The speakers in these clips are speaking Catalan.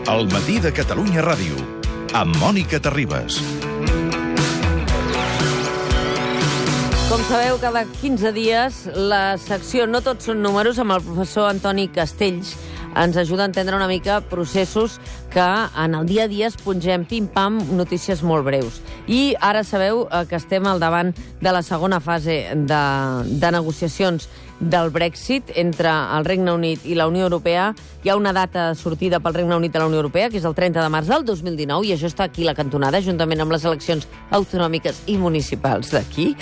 El matí de Catalunya Ràdio, amb Mònica Terribas. Com sabeu, cada 15 dies la secció No tots són números amb el professor Antoni Castells ens ajuda a entendre una mica processos que en el dia a dia es pongem pim-pam notícies molt breus. I ara sabeu que estem al davant de la segona fase de negociacions del Brexit entre el Regne Unit i la Unió Europea. Hi ha una data de sortida pel Regne Unit de la Unió Europea, que és el 30 de març del 2019, i això està aquí a la cantonada, juntament amb les eleccions autonòmiques i municipals d'aquí.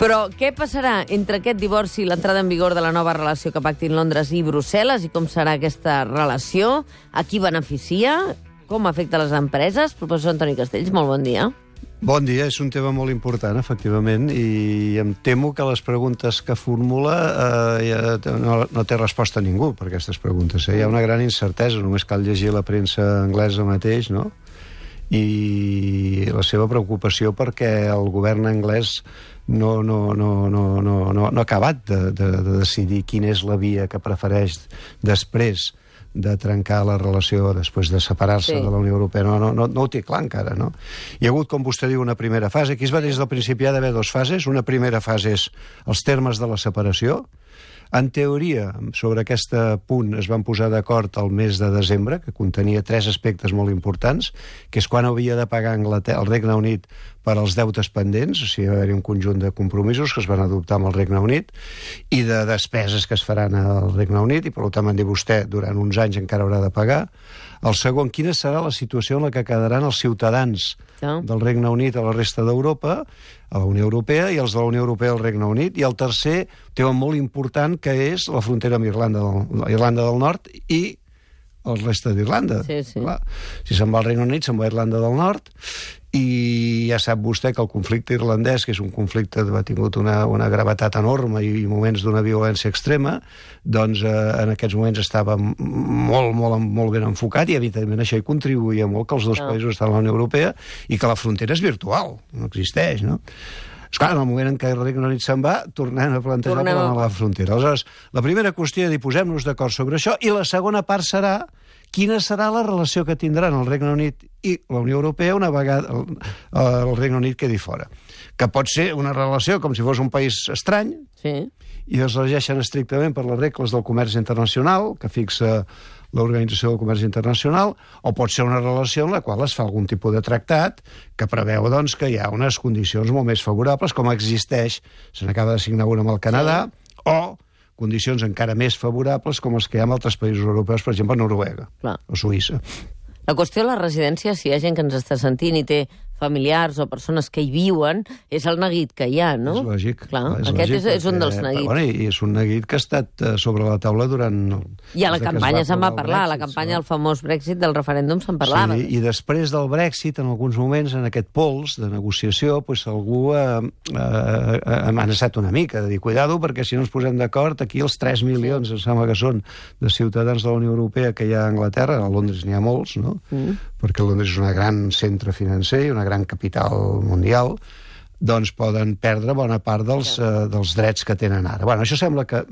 Però què passarà entre aquest divorci i l'entrada en vigor de la nova relació que pactin Londres i Brussel·les, i com serà aquesta relació? A qui beneficia? Com afecta les empreses? Professor Antoni Castells, molt bon dia. Bon dia, és un tema molt important, efectivament, i em temo que les preguntes que formula no té resposta a ningú per aquestes preguntes. Hi ha una gran incertesa, només cal llegir la premsa anglesa mateix, no? I la seva preocupació perquè el govern anglès no ha acabat de decidir quina és la via que prefereix després de trencar la relació, després de separar-se de la Unió Europea. No ho té clar encara, no? Hi ha hagut, com vostè diu, una primera fase. Aquí es va dir des del principi, hi ha d'haver dues fases. Una primera fase és els termes de la separació. En teoria, sobre aquest punt es van posar d'acord el mes de desembre, que contenia 3 aspectes molt importants, que és quan havia de pagar el Regne Unit per als deutes pendents, o sigui, va haver-hi un conjunt de compromisos que es van adoptar amb el Regne Unit i de despeses que es faran al Regne Unit, i per tant, m'han dit vostè, durant uns anys encara haurà de pagar. El segon, quina serà la situació en la que quedaran els ciutadans del Regne Unit a la resta d'Europa, a la Unió Europea, i els de la Unió Europea al Regne Unit. I el tercer, tema molt important, que és la frontera amb Irlanda del Nord i el reste d'Irlanda. Sí. Si se'n va al Regne Unit, se'n va a Irlanda del Nord, i ja sap vostè que el conflicte irlandès, que és un conflicte que ha tingut una gravetat enorme i moments d'una violència extrema, doncs en aquests moments estava molt ben enfocat, i evidentment això hi contribuïa molt que els dos països estan a la Unió Europea i que la frontera és virtual, no existeix, no? Esclar, en el moment en què el Regne Unit se'n va, tornem a plantejar la frontera. Aleshores, la primera qüestió és dir, posem-nos d'acord sobre això, i la segona part serà quina serà la relació que tindran el Regne Unit i la Unió Europea una vegada el Regne Unit quedi fora. Que pot ser una relació com si fos un país estrany, i es regeixen estrictament per les regles del comerç internacional, que fixa l'Organització del Comerç Internacional, o pot ser una relació en la qual es fa algun tipus de tractat que preveu doncs, que hi ha unes condicions molt més favorables, com existeix, se n'acaba de signar una amb el Canadà, o condicions encara més favorables com les que hi ha en altres països europeus, per exemple, Noruega o Suïssa. La qüestió de les residències, si hi ha gent que ens està sentint i té familiars o persones que hi viuen, és el neguit que hi ha, no? És lògic. Aquest és un dels neguits. I és un neguit que ha estat sobre la taula durant... I a la campanya se'n va parlar, a la campanya del famós Brexit, del referèndum, se'n parlava. Sí, i després del Brexit, en alguns moments, en aquest pols de negociació, algú ha amenaçat una mica, de dir, cuidado, perquè si no ens posem d'acord, aquí els 3 milions, em sembla que són, de ciutadans de la Unió Europea que hi ha a Anglaterra, a Londres n'hi ha molts, no? Perquè Londres és un gran centre financer i una gran capital mundial, doncs poden perdre bona part dels drets que tenen ara. Bueno, això sembla que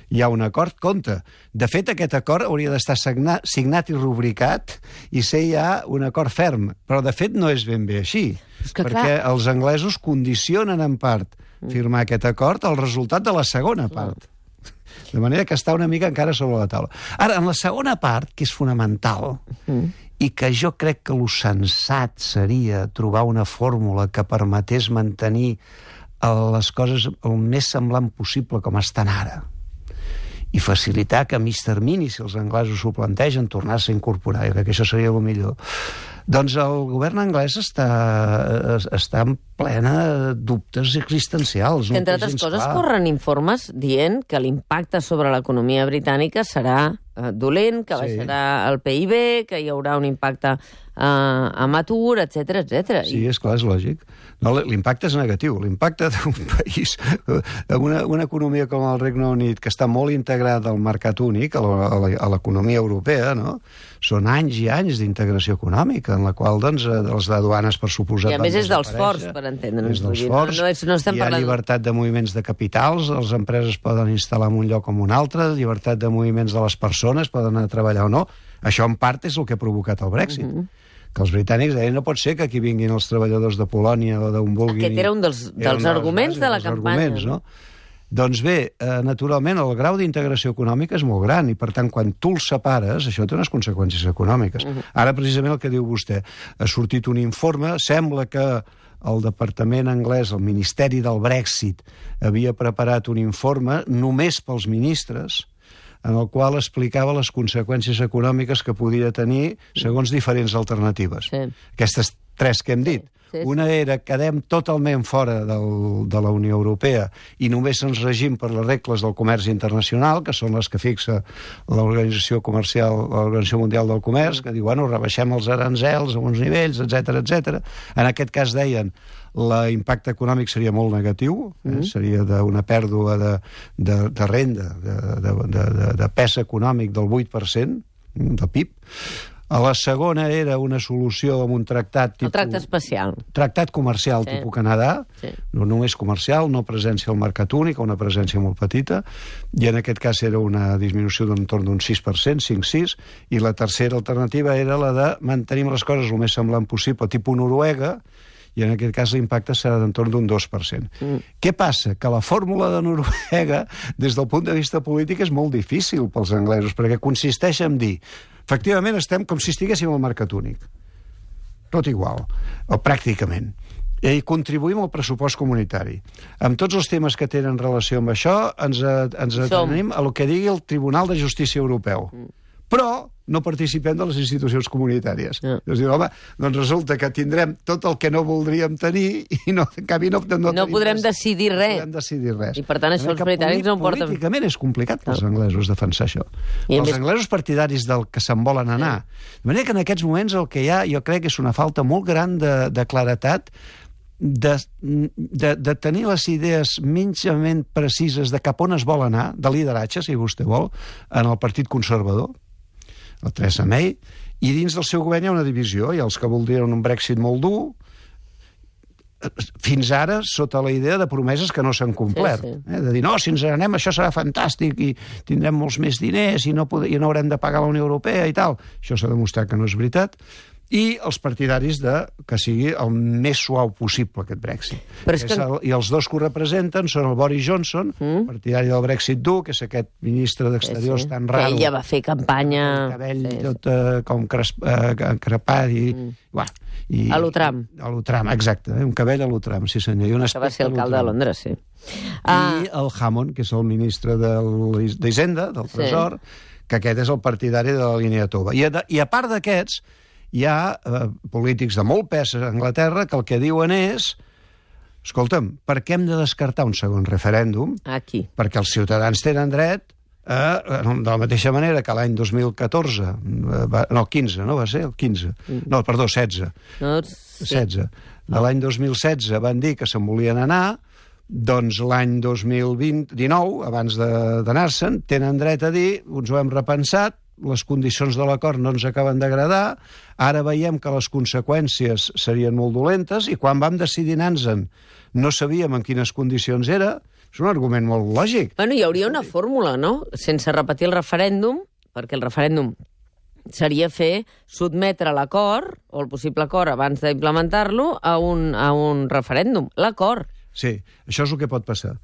hi ha un acord. Compte, de fet, aquest acord hauria d'estar signat i rubricat i ser ja un acord ferm, però de fet no és ben bé així, perquè els anglesos condicionen en part firmar aquest acord al resultat de la segona part. De manera que està una mica encara sobre la taula. Ara, en la segona part, que és fonamental, i que jo crec que el sensat seria trobar una fórmula que permetés mantenir les coses el més semblant possible com estan ara, i facilitar que a mig termini, si els anglesos s'ho plantegen, tornar-se a incorporar. Jo crec que això seria el millor. Doncs el govern anglès està en plena dubtes existencials. Entre altres coses, corren informes dient que l'impacte sobre l'economia britànica serà dolent, que baixarà el PIB, que hi haurà un impacte amb atur, etc. Sí, és clar, és lògic. No, l'impacte és negatiu. L'impacte d'un país, una economia com el Regne Unit, que està molt integrada al mercat únic, a l'economia europea, no? Són anys i anys d'integració econòmica, en la qual, doncs, les aduanes, per suposat... I a més és dels forts, per entendre'ns. És dels forts, hi ha llibertat de moviments de capitals, les empreses poden instal·lar en un lloc o en un altre, llibertat de moviments de les persones, poden anar a treballar o no. Això, en part, és el que ha provocat el Brexit. Que els britànics deien no pot ser que aquí vinguin els treballadors de Polònia o d'on vulguin... Aquest era un dels arguments de la campanya. No? Doncs bé, naturalment, el grau d'integració econòmica és molt gran i, per tant, quan tu els separes, això té unes conseqüències econòmiques. Ara, precisament, el que diu vostè, ha sortit un informe, sembla que el departament anglès, el Ministeri del Brexit, havia preparat un informe només pels ministres, en el qual explicava les conseqüències econòmiques que podia tenir segons diferents alternatives. Sí. Aquestes tres que hem dit. Sí. Una era quedem totalment fora de la Unió Europea i només ens regim per les regles del comerç internacional, que són les que fixa l'Organització Comercial, l'Organització Mundial del Comerç, que diu, bueno, rebaixem els aranzels a uns nivells, etc. En aquest cas deien l'impacte econòmic seria molt negatiu, seria d'una pèrdua de renda, de pes econòmic del 8% del PIB. A la segona era una solució amb un tractat tipus... El tracte especial. Tractat comercial tipus Canadà, no només comercial, no presència al mercat únic, una presència molt petita, i en aquest cas era una disminució d'entorn d'un 6%, 5-6, i la tercera alternativa era la de mantenir les coses el més semblant possible, tipus Noruega, i en aquest cas l'impacte serà d'entorn d'un 2%. Què passa? Que la fórmula de Noruega, des del punt de vista polític, és molt difícil pels anglesos, perquè consisteix en dir, efectivament estem com si estiguéssim al mercat únic. Tot igual, o pràcticament. I contribuïm al pressupost comunitari. Amb tots els temes que tenen relació amb això, ens atenim a el que digui el Tribunal de Justícia Europeu. Però no participem de les institucions comunitàries. És dir, home, doncs resulta que tindrem tot el que no voldríem tenir i no, en canvi no podrem decidir res. No podrem decidir res. I per tant això els britànics no ho porten... Políticament és complicat pels anglesos defensar això. Els anglesos partidaris del que se'n volen anar. De manera que en aquests moments el que hi ha, jo crec que és una falta molt gran de claretat de tenir les idees minimament precises de cap on es vol anar, de lideratge, si vostè vol, en el Partit Conservador, la Theresa May, i dins del seu govern hi ha una divisió. Hi ha els que voldrien un Brexit molt dur, fins ara sota la idea de promeses que no s'han complert. De dir, no, si ens anem això serà fantàstic i tindrem molts més diners i no haurem de pagar la Unió Europea i tal. Això s'ha demostrat que no és veritat. I els partidaris que sigui el més suau possible, aquest Brexit. I els dos que ho representen són el Boris Johnson, partidari del Brexit dur, que és aquest ministre d'Exteriors tan raro. Que ella va fer campanya... El cabell tot com crepat i... A l'Utram. A l'Utram, exacte. Un cabell a l'Utram, sí senyor. Que va ser alcalde de Londres, sí. I el Hammond, que és el ministre d'Hisenda, del Tresor, que aquest és el partidari de la línia tova. I a part d'aquests, hi ha polítics de molt pes a Anglaterra que el que diuen és escolta'm, per què hem de descartar un segon referèndum? Aquí. Perquè els ciutadans tenen dret de la mateixa manera que l'any 2014 no, 15, no va ser? El 15. No, perdó, 16. 16. De l'any 2016 van dir que se'n volien anar, doncs l'any 2019, abans d'anar-se'n, tenen dret a dir, ens ho hem repensat, les condicions de l'acord no ens acaben d'agradar, ara veiem que les conseqüències serien molt dolentes i quan vam decidir anar-se'n no sabíem en quines condicions era. És un argument molt lògic. Bueno, hi hauria una fórmula, no? Sense repetir el referèndum, perquè el referèndum seria sotmetre l'acord, o el possible acord abans d'implementar-lo, a un referèndum. L'acord. Sí, això és el que pot passar.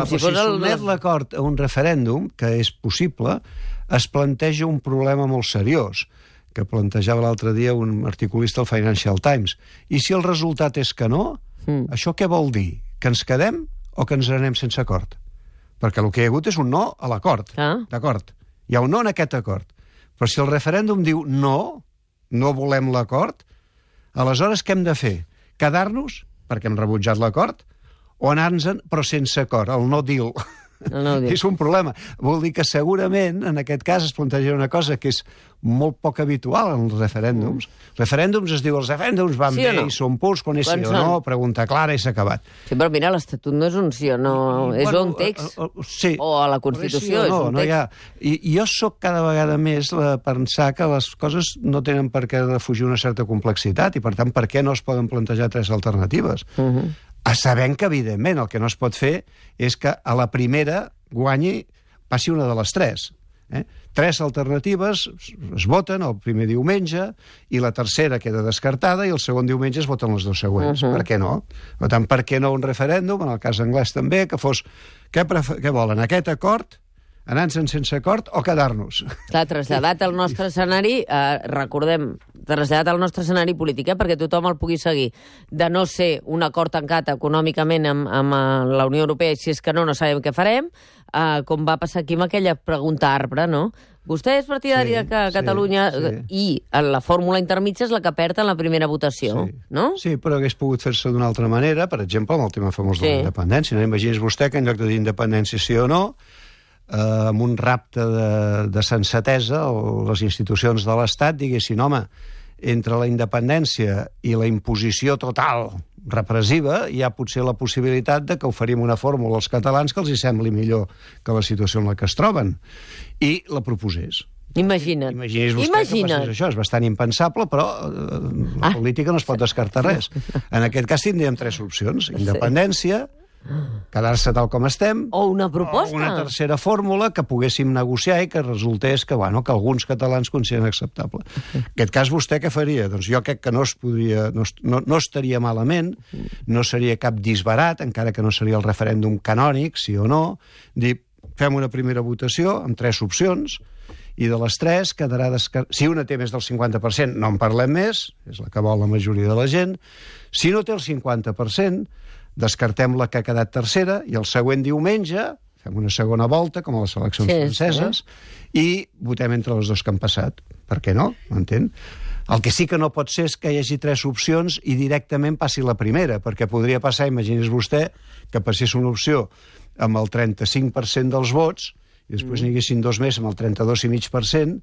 Si sotmet l'acord a un referèndum, que és possible, es planteja un problema molt seriós, que plantejava l'altre dia un articulista al Financial Times. I si el resultat és que no, això què vol dir? Que ens quedem o que ens anem sense acord? Perquè el que hi ha hagut és un no a l'acord. D'acord. Hi ha un no en aquest acord. Però si el referèndum diu no volem l'acord, aleshores què hem de fer? Quedar-nos, perquè hem rebutjat l'acord, o anar-nos-en però sense acord, el no deal. És un problema. Vol dir que segurament, en aquest cas, es planteja una cosa que és molt poc habitual en els referèndums. Referèndums es diu, els referèndums van bé i són purs, quan és sí o no, pregunta clara i s'ha acabat. Sí, però mira, l'Estatut no és un sí o no, és un text. O a la Constitució és un text. I jo sóc cada vegada més a pensar que les coses no tenen per què defugir una certa complexitat i, per tant, per què no es poden plantejar tres alternatives. Sabent que, evidentment, el que no es pot fer és que a la primera passi una de les tres. 3 alternatives es voten el primer diumenge i la tercera queda descartada i el segon diumenge es voten les 2 següents. Per què no? Per tant, per què no un referèndum, en el cas anglès també, que fos... Què volen, aquest acord, anar-se'n sense acord o quedar-nos? Clar, traslladat al nostre escenari, recordem, traslladat al nostre escenari polític, perquè tothom el pugui seguir, de no ser un acord tancat econòmicament amb la Unió Europea, si és que no sabem què farem, com va passar aquí amb aquella pregunta arbre, no? Vostè és partidari que Catalunya i la fórmula intermitja és la que perd en la primera votació, no? Sí, però hagués pogut fer-se d'una altra manera, per exemple, amb el tema famós de la independència. No imagines vostè que en lloc de dir independència sí o no, amb un rapte de sensatesa, les institucions de l'Estat diguessin, home, entre la independència i la imposició total repressiva hi ha potser la possibilitat de que oferim una fórmula als catalans que els hi sembli millor que la situació en la que es troben, i la proposés. Imagina't. Imagini's vostè que passés això. És bastant impensable, però la política no es pot descartar res. En aquest cas tindríem 3 opcions. Independència, quedar-se tal com estem, o una proposta, o una tercera fórmula que poguéssim negociar i que resultés que alguns catalans consideren acceptable. En aquest cas, vostè què faria? Doncs jo crec que no estaria malament, no seria cap disbarat, encara que no seria el referèndum canònic, sí o no, dir, fem una primera votació amb 3 opcions, i de les 3 quedarà descartat. Si una té més del 50%, no en parlem més, és la que vol la majoria de la gent. Si no té el 50%, descartem la que ha quedat tercera i el següent diumenge fem una segona volta, com a les eleccions franceses, i votem entre les 2 que han passat. Per què no? M'entén? El que sí que no pot ser és que hi hagi 3 opcions i directament passi la primera, perquè podria passar, imagini's vostè, que passés una opció amb el 35% dels vots i després n'hi haguessin 2 més amb el 32,5%,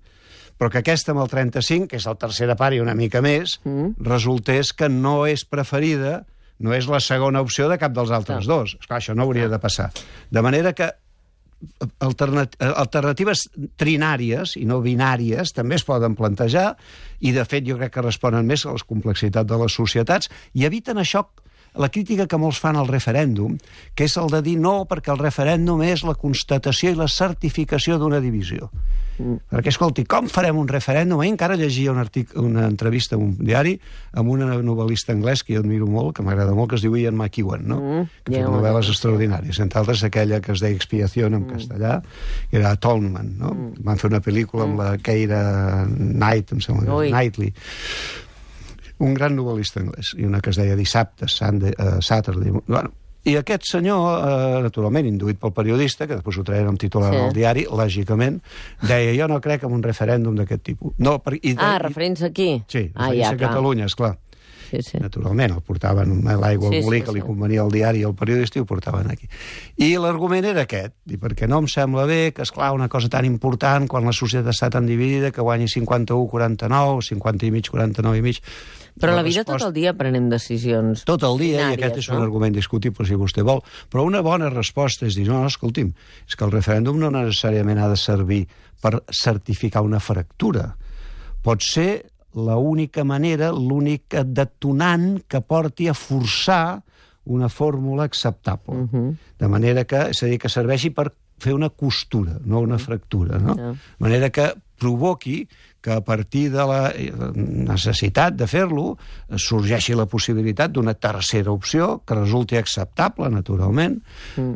però que aquesta amb el 35%, que és la tercera part i una mica més, resultés que no és preferida, no és la segona opció de cap dels altres 2. Esclar, això no hauria de passar. De manera que alternatives trinàries i no binàries també es poden plantejar i, de fet, jo crec que responen més a la complexitat de les societats i eviten això, la crítica que molts fan al referèndum, que és el de dir no, perquè el referèndum és la constatació i la certificació d'una divisió. Perquè, escolti, com farem un referèndum? Ahir encara llegia una entrevista en un diari amb una novel·lista anglès que jo admiro molt, que m'agrada molt, que es diu Ian McEwan, no? Que fa novel·les extraordinàries. Entre altres, aquella que es deia Expiación en castellà, que era Atonement, no? Van fer una pel·lícula amb la Keira Knight, em sembla, Knightley. Un gran novel·lista anglès, i una que es deia Dissabte, Saturday. Bueno, i aquest senyor, naturalment, induït pel periodista, que després ho traien amb titular al diari, lògicament, deia, jo no crec en un referèndum d'aquest tipus. Referents aquí? Sí, referents a Catalunya, esclar. Naturalment, el portaven l'aigua al molí que li convenia al diari i al periodista i ho portaven aquí. I l'argument era aquest, perquè no em sembla bé que, esclar, una cosa tan important quan la societat està tan dividida que guanyi 51-49, 50,5-49,5. Però la vida tot el dia prenem decisions. Tot el dia, i aquest és un argument discutible si vostè vol. Però una bona resposta és dir, no, escolti'm, és que el referèndum no necessàriament ha de servir per certificar una fractura. Pot ser l'única manera, l'únic detonant que porti a forçar una fórmula acceptable. De manera que, és a dir, que serveixi per fer una costura, no una fractura, no? De manera que provoqui que a partir de la necessitat de fer-lo sorgeixi la possibilitat d'una tercera opció que resulti acceptable, naturalment,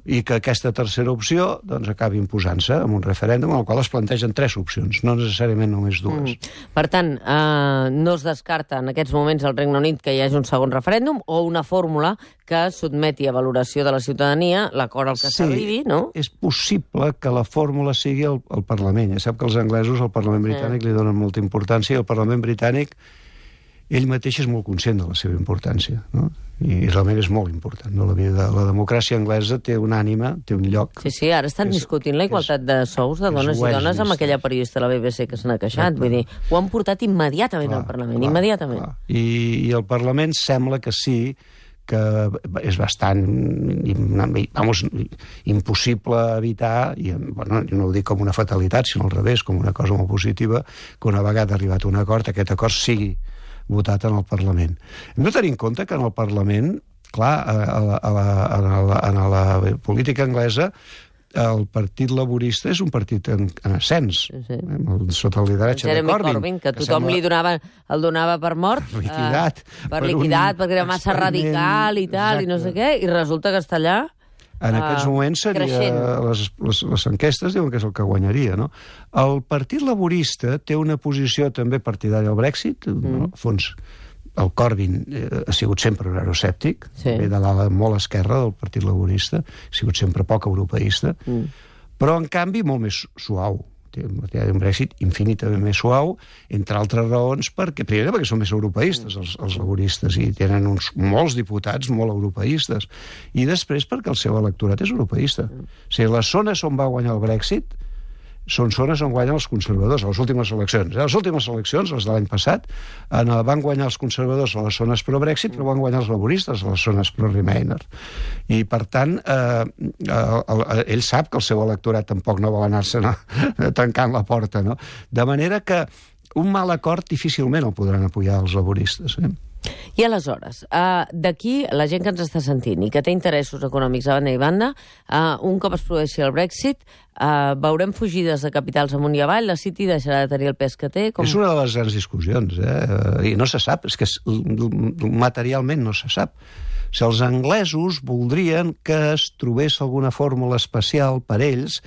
i que aquesta tercera opció doncs, acabi imposant-se en un referèndum en el qual es plantegen 3 opcions, no necessàriament només 2. Per tant, no es descarta en aquests moments al Regne Unit que hi hagi un segon referèndum o una fórmula que sotmeti a valoració de la ciutadania l'acord al que s'arribi, no? És possible que la fórmula sigui el Parlament. Ja sap que els anglesos al Parlament britànic li donen molta importància i el Parlament britànic ell mateix és molt conscient de la seva importància, no? I realment és molt important, no? La democràcia anglesa té una ànima, té un lloc... Sí, ara estan discutint la igualtat de sous de dones i dones amb aquella periodista de la BBC que se n'ha queixat, vull dir, ho han portat immediatament al Parlament, immediatament. I el Parlament sembla que sí, que és bastant impossible evitar, i bueno, no ho dic com una fatalitat, sinó al revés, com una cosa molt positiva, que una vegada arribat a un acord, aquest acord sigui votat en el Parlament. Hem de tenir en compte que en el Parlament, clar, en la política anglesa, el Partit Laborista és un partit en ascens, sota el lideratge de Corbyn. Que tothom el donava per mort. Liquidat. Perquè era massa radical i tal, i no sé què, i resulta que està allà... En aquests moments les enquestes diuen que és el que guanyaria, no? El Partit Laborista té una posició també partidària al Brexit, al fons el Corbyn ha sigut sempre un euroscèptic, ve de l'ala molt esquerra del Partit Laborista, ha sigut sempre poc europeista, però en canvi molt més suau. Té un Brexit infinitament més suau, entre altres raons, primer perquè són més europeistes els laboristes i tenen molts diputats molt europeistes, i després perquè el seu electorat és europeista. O sigui, les zones on va guanyar el Brexit són zones on guanyen els conservadors a les últimes eleccions. A les últimes eleccions, les de l'any passat, van guanyar els conservadors a les zones pro-Brexit, però van guanyar els laboristes a les zones pro-Remainer. I, per tant, ell sap que el seu electorat tampoc no vol anar-se tancant la porta, no? De manera que un mal acord difícilment el podran apoyar els laboristes, I aleshores, d'aquí, la gent que ens està sentint i que té interessos econòmics a banda i banda, un cop es produeixi el Brexit, veurem fugides de capitals amunt i avall, la City deixarà de tenir el pes que té? És una de les grans discussions, i no se sap, és que materialment no se sap. Si els anglesos voldrien que es trobés alguna fórmula especial per ells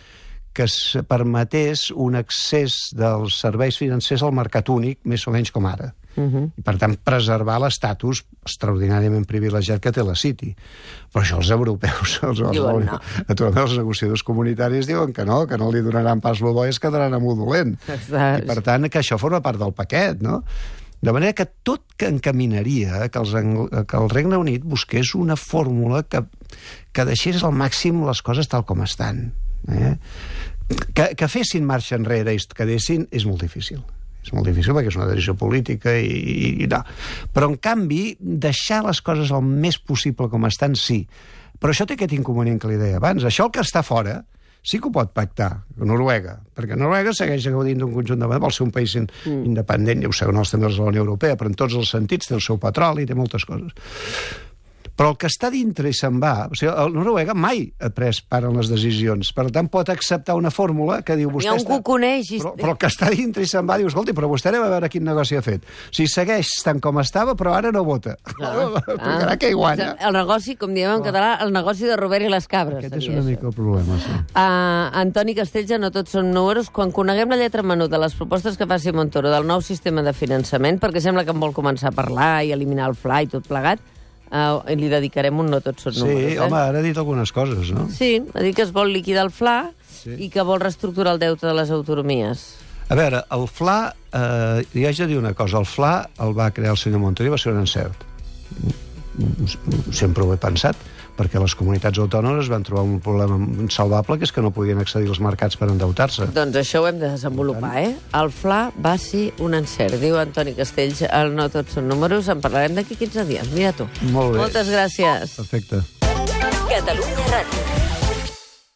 que permetés un accés dels serveis financers al mercat únic, més o menys com ara. I, per tant, preservar l'estatus extraordinàriament privilegiat que té la City. Però això els europeus, els negociadors comunitaris diuen que no li donaran pas lo bo i es quedaran amb lo dolent. I, per tant, que això forma part del paquet, no? De manera que tot que encaminaria que el Regne Unit busqués una fórmula que deixés al màxim les coses tal com estan. Que fessin marxa enrere i es quedessin és molt difícil. És molt difícil perquè és una decisió política i no. Però, en canvi, deixar les coses el més possible com estan, sí. Però això té aquest inconvenient que li deia abans. Això el que està fora sí que ho pot pactar, Noruega, perquè Noruega segueix gaudint d'un conjunt de... vol ser un país independent, ja ho sabeu, també és la Unió Europea, però en tots els sentits té el seu petroli, té moltes coses. Però el que està dintre i se'n va... O sigui, Noruega mai ha pres part en les decisions. Per tant, pot acceptar una fórmula que diu... Hi ha un que ho coneix... Però el que està dintre i se'n va diu, escolti, però vostè anem a veure quin negoci ha fet. O sigui, segueix tant com estava, però ara no vota. Perquè que hi guanya. El negoci, com diem en català, el negoci de Robert i les cabres. Aquest és una mica el problema, sí. Antoni Castells, no tots són números. Quan coneguem la lletra menuda de les propostes que faci Montoro del nou sistema de finançament, perquè sembla que en vol començar a parlar i eliminar el FLA i tot plegat, li dedicarem un no tots són números. Sí, home, ara ha dit algunes coses, no? Sí, ha dit que es vol liquidar el FLA i que vol reestructurar el deute de les autonomies. A veure, el FLA, hi haig de dir una cosa, el FLA el va crear el senyor Montoro i va ser un encert. Sempre ho he pensat, perquè les comunitats autònomes van trobar un problema insalvable, que és que no podien accedir als mercats per endeutar-se. Doncs això ho hem de desenvolupar, El FLA va ser un encert, diu Antoni Castells. El no tots són números, en parlarem d'aquí 15 dies. Mira tu. Molt bé. Moltes gràcies. Perfecte. Catalunya Ràdio.